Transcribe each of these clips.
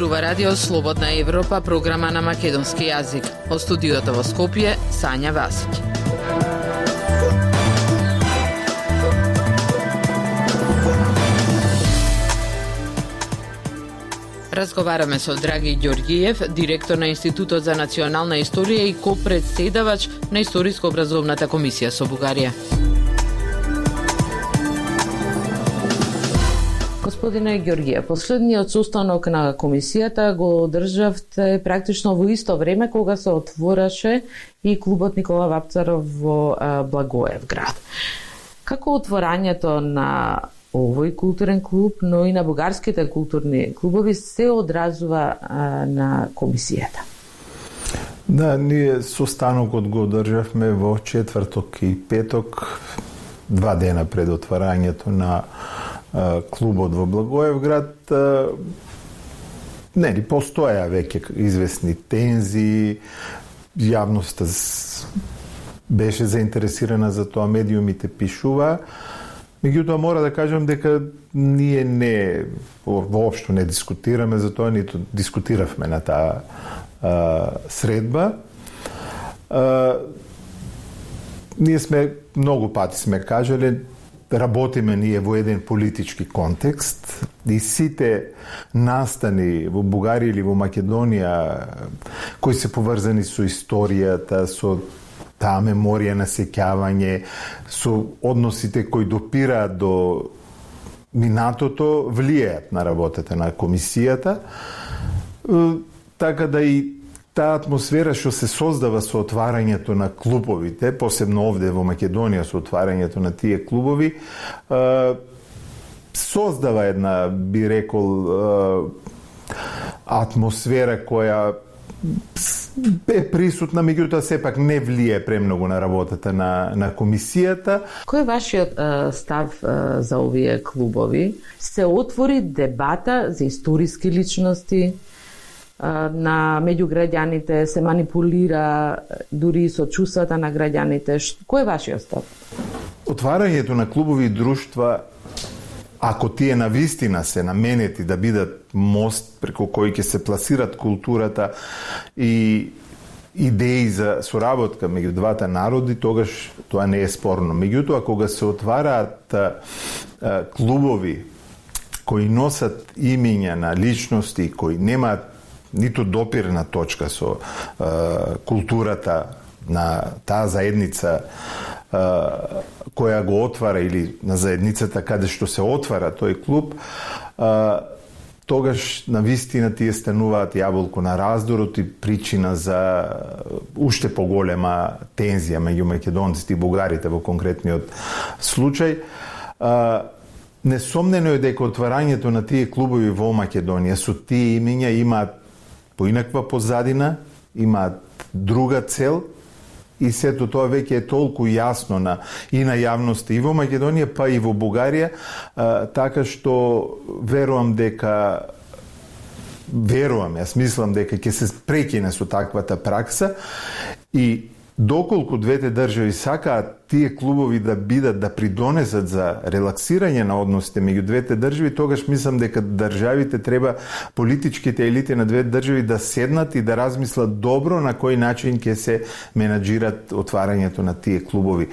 Зборува Радио Слободна Европа, програма на македонски јазик. Од студиото во Скопје, Сања Васиќ. Разговараме со Драги Ѓорѓиев, директор на Институтот за национална историја и ко-председавач на Историско-образовната комисија со Бугарија. Господине Ѓорѓиев, последниот состанок на комисијата го одржавте практично во исто време кога се отвораше и клубот Никола Вапцаров во Благоевград. Како отворањето на овој културен клуб, но и на бугарските културни клубови се одразува на комисијата? Да, ние состанокот го одржавме во четврток и петок, 2 дена пред отварањето на клубот во Благоевград. Нели постоја веќе известни тензии, јавноста беше заинтересирана за тоа, медиумите пишува. Меѓутоа мора да кажам дека ние воопшто не дискутираме за тоа, ниту дискутиравме на таа средба. Ние сме многу пати сме кажале, работиме ние во еден политички контекст и сите настани во Бугарија или во Македонија кои се поврзани со историјата, со таа меморија на сеќавање, со односите кои допираат до минатото, влијаат на работата на комисијата. Така да и таа атмосфера што се создава со отварањето на клубовите, посебно овде во Македонија со отварањето на тие клубови, создава една, би рекол, атмосфера која е присутна, меѓутоа сепак не влие премногу на работата на комисијата. Кој е вашиот став за овие клубови? Се отвори дебата за историски личности на меѓу граѓаните, се манипулира дури со чувствата на граѓаните. Кој е вашиот став? Отварањето на клубови и друштва, ако тие навистина се наменети да бидат мост преку кој ќе се пласират културата и идеи за соработка меѓу двата народи, тогаш тоа не е спорно. Меѓутоа, кога се отвараат клубови кои носат имиња на личности кои немаат ниту допирна точка со културата на таа заедница која го отвара или на заедницата каде што се отвара тој клуб, тогаш навистина тие стануваат јаболко на раздорот и причина за уште поголема тензија меѓу македонците и бугарите во конкретниот случај. Несомнено е дека отварањето на тие клубови во Македонија со тие имиња имаат поинаква позадина, имаат друга цел и сето тоа веќе е толку јасно и на јавноста и во Македонија, па и во Бугарија, така што јас мислам дека ќе се прекине со таквата пракса и доколку двете држави сакаат тие клубови да бидат, да придонесат за релаксирање на односите меѓу двете држави, тогаш мислам дека државите треба, политичките елити на двете држави да седнат и да размислат добро на кој начин ќе се менаџират отварањето на тие клубови.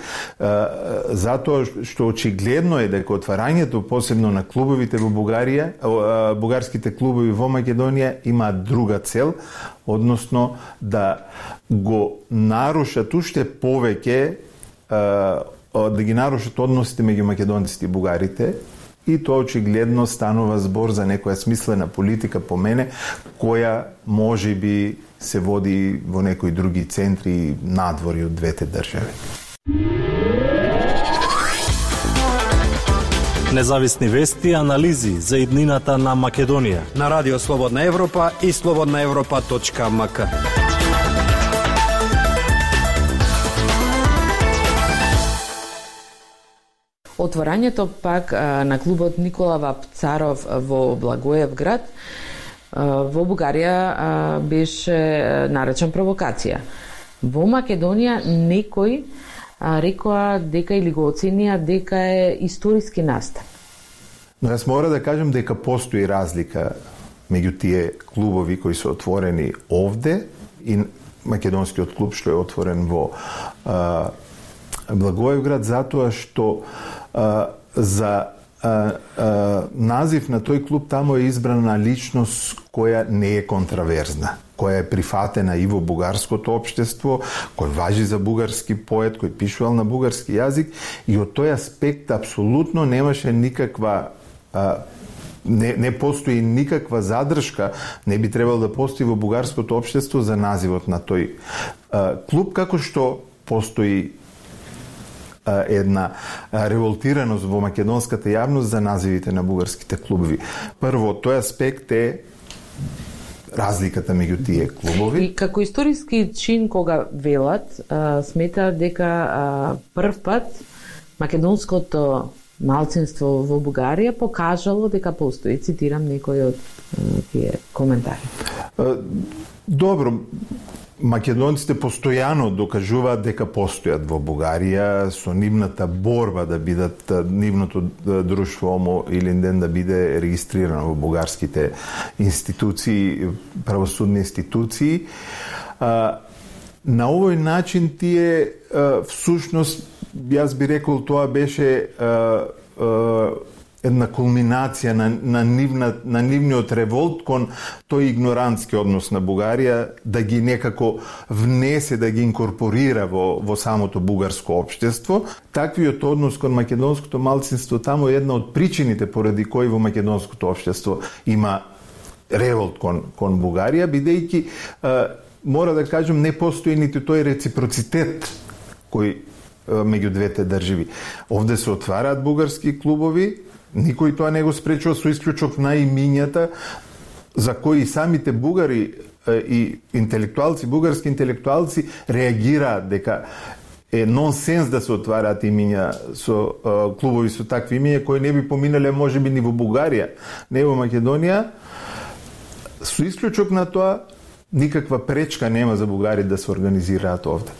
Затоа што очигледно е дека отварањето посебно на клубовите во Бугарија, бугарските клубови во Македонија имаат друга цел, односно да го нарушат уште повеќе, да ги нарушат односите меѓу македонците и бугарите, и тоа очигледно станува збор за некоја смислена политика по мене, која може би се води во некои други центри надвори од двете држави. Независни вести и анализи за иднината на Македонија на Радио Слободна Европа и slobodnaevropa.mk. Отворањето пак на клубот Никола Вапцаров во Благоевград во Бугарија беше наречен провокација. Во Македонија некој рекоа дека или го оценија дека е историски настан. Но јас мора да кажам дека постои разлика меѓу тие клубови кои се отворени овде и македонскиот клуб што е отворен во Благоевград, затоа што за назив на тој клуб тамо е избрана личност која не е контраверзна, која е прифатена и во бугарското општество, кој важи за бугарски поет, кој пишувал на бугарски јазик, и од тој аспект апсолутно немаше никаква не постои никаква задршка, не би требало да постои во бугарското општество за називот на тој клуб, како што постои една револтираност во македонската јавност за називите на бугарските клубови. Прво, тој аспект е разликата меѓу тие клубови. И како историски чин кога велат, смета дека прв пат македонското малцинство во Бугарија покажало дека постои. Цитирам некој од тие коментари. Добро, македонците постојано докажуваат дека постојат во Бугарија со нивната борба да бидат нивното друштво Омо Илинден да биде регистрирано во бугарските институции, правосудни институции. На овој начин тие всушност, јас би рекол, тоа беше една кулминација на нивниот револт кон тој игнорантски однос на Бугарија, да ги некако внесе, да ги инкорпорира во самото бугарско општество. Таквиот однос кон македонското малцинство тамо е една од причините поради кои во македонското општество има револт кон Бугарија, бидејќи мора да кажем не постои ниту тој реципроцитет кој меѓу двете држави. Овде се отвараат бугарски клубови, никој тоа не го спречува, со исклучок на имињата за кои самите бугари и интелектуалци, бугарски интелектуалци реагираат дека е нонсенс да се отвараат имиња со клубови со такви имиња кои не би поминале можеби ни во Бугарија, не во Македонија. Со исклучок на тоа никаква пречка нема за бугари да се организираат овде.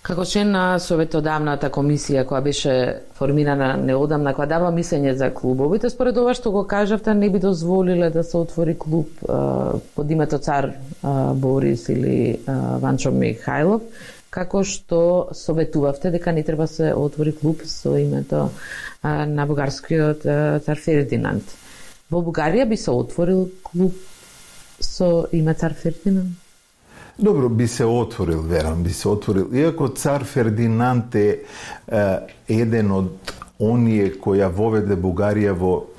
Како член на Советодавната комисија која беше формирана неодамна, која дава мислење за клубовите, според ова што го кажавте, не би дозволиле да се отвори клуб под името Цар Борис или Ванчо Михајлов, како што советувавте дека не треба се отвори клуб со името на бугарскиот Цар Фердинанд. Во Бугарија би се отворил клуб со име Цар Фердинанд? Добро, би се отворил, верам, би се отворил. Иако Цар Фердинанд е еден од оние која воведе Бугарија во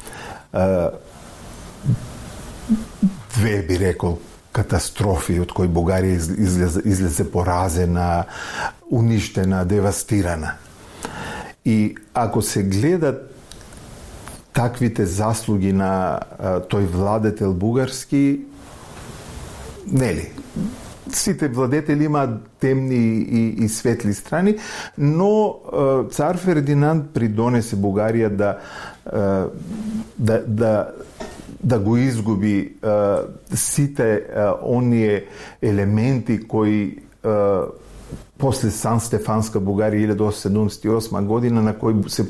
две, би рекол, катастрофи од кои Бугарија излезе поразена, уништена, девастирана. И ако се гледат таквите заслуги на тој владетел бугарски, нели, сите владетели имаат темни и светли страни, но Цар Фердинанд придонесе Бугарија да го изгуби сите оние елементи кои после Сан-Стефанска Бугарија 1878 година, на кој се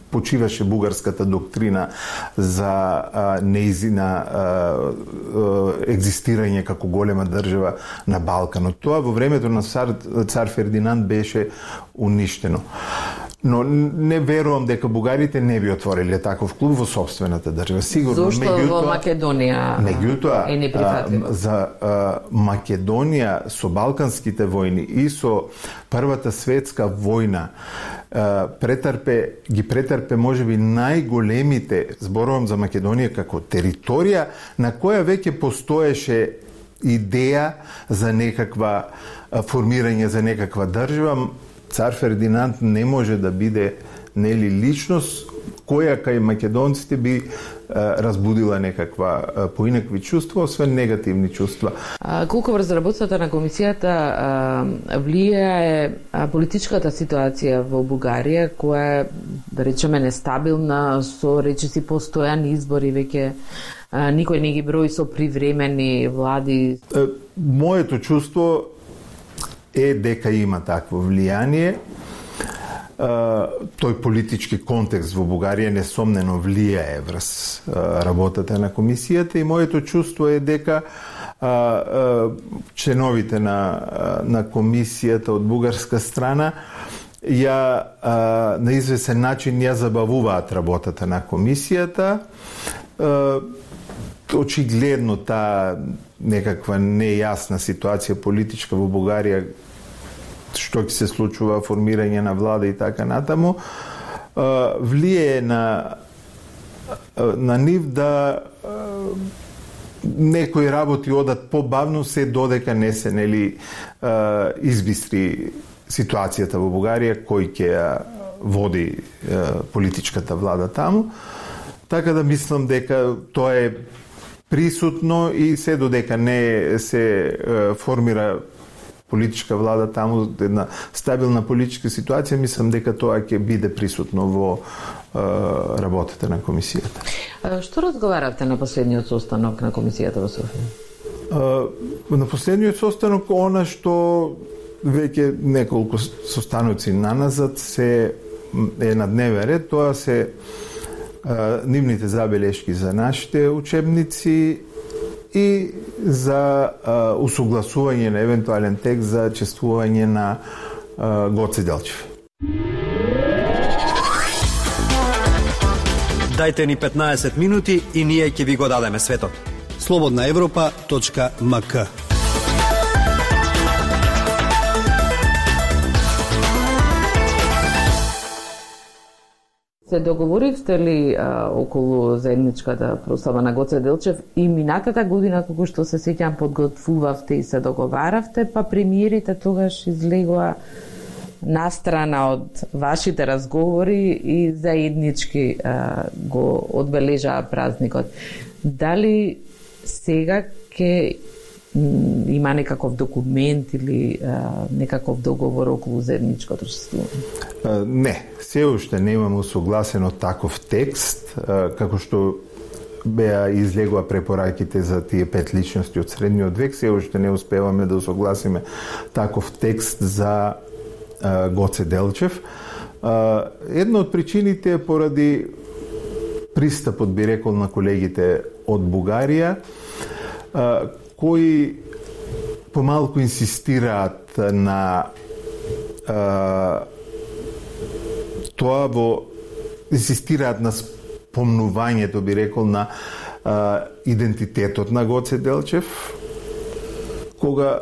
почиваше бугарската доктрина за неизина екзистирање како голема држава на Балканот. Тоа во времето на Цар Фердинанд беше уништено. Но не верувам дека бугарите не би отвориле таков клуб во сопствената држава. Сигурно. Зошто во Македонија е неприфатлив? За Македонија со Балканските војни и со Првата светска војна ги претрпе можеби најголемите, зборувам за Македонија како територија на која веќе постоеше идеја за некаква формирање за некаква држава. Цар Фердинанд не може да биде нели личност која кај македонците би разбудила некаква поинакви чувства, освен негативни чувства. Колку врз работата на комисијата влијае политичката ситуација во Бугарија, која е, да речеме, нестабилна, со речиси постојани избори, веќе никој не ги брои со привремени влади? Моето чувство е дека има такво влијание. тој политички контекст во Бугарија несомнено влијае врз работата на комисијата и моето чувство е дека членовите на комисијата од бугарска страна на известен начин ја забавуваат работата на комисијата. Очигледно таа некаква нејасна ситуација политичка во Бугарија, што ќе се случува, формирање на влада и така натаму, влијае на нив да некои работи одат побавно се додека не се избистри ситуацијата во Бугарија, кој ќе ја води политичката влада таму. Така да мислам дека тоа е присутно и се додека не се формира политичка влада таму, една стабилна политичка ситуација, мислам дека тоа ќе биде присутно во работата на комисијата. Што разговаравте на последниот состанок на комисијата во Софија? На последниот состанок, она што веќе неколку состаноци наназад е на дневен ред, тоа се нивните забелешки за нашите учебници и за усогласување на евентуален текст за чествување на Гоце Делчев. Дајте ни 15 минути и ние ќе ви го дадеме светот. slobodnaevropa.mk. Се договоривте ли околу заедничката прослава на Гоце Делчев и минатата година, кога што се сеќам, подготвувавте и се договаравте, па премиерите тогаш излегоа настрана од вашите разговори и заеднички го одбележаа празникот. Дали сега ќе има некаков документ или некаков договор околу заедничкото чествување? Не, се уште немаме усогласено таков текст, како што беа излегува препораките за тие 5 личности од средниот век, се уште не успеваме да усогласиме таков текст за Гоце Делчев. Една од причините е поради пристапот, би рекол, на колегите од Бугарија, кои помалку инсистираат на инсистираат на спомнувањето, би рекол, на идентитетот на Гоце Делчев, кога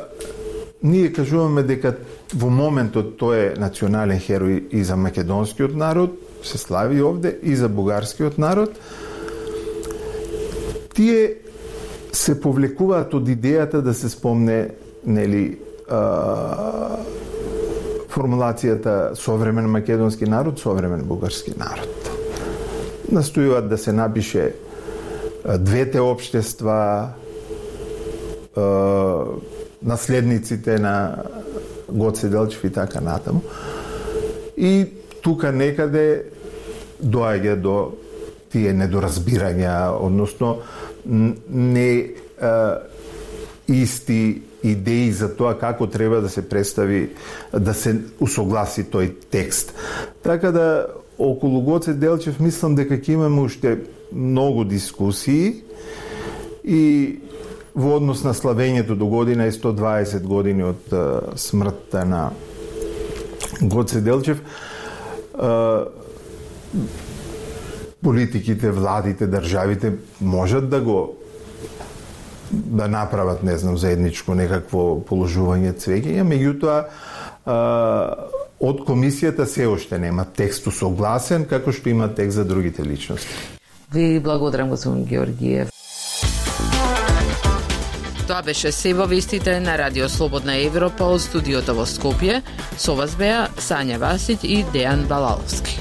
ние кажуваме дека во моментот тој е национален херој и за македонскиот народ, се слави овде, и за бугарскиот народ, тие се повлекуваат од идејата да се спомне, формулацијата современ македонски народ, современ бугарски народ. Настојуваат да се напише двете општества, наследниците на Гоце Делчев и така натаму. И тука некаде доаѓа до тие недоразбирања, односно не исти идеи за тоа како треба да се представи, да се усогласи тој текст. Така да, околу Гоце Делчев мислам дека ќе имаме уште многу дискусии и во однос на славењето до година и 120 години од смртта на Гоце Делчев, политиките, владите, државите можат да направат, не знам, заедничко некакво положување цвеќења, меѓутоа од комисијата се уште нема текст усогласен, како што има текст за другите личности. Ви благодарам, господин Георгиев. Тоа беше се во вестите на Радио Слободна Европа од студиото во Скопје. Со вас беа Сања Васиќ и Дејан Балаловски.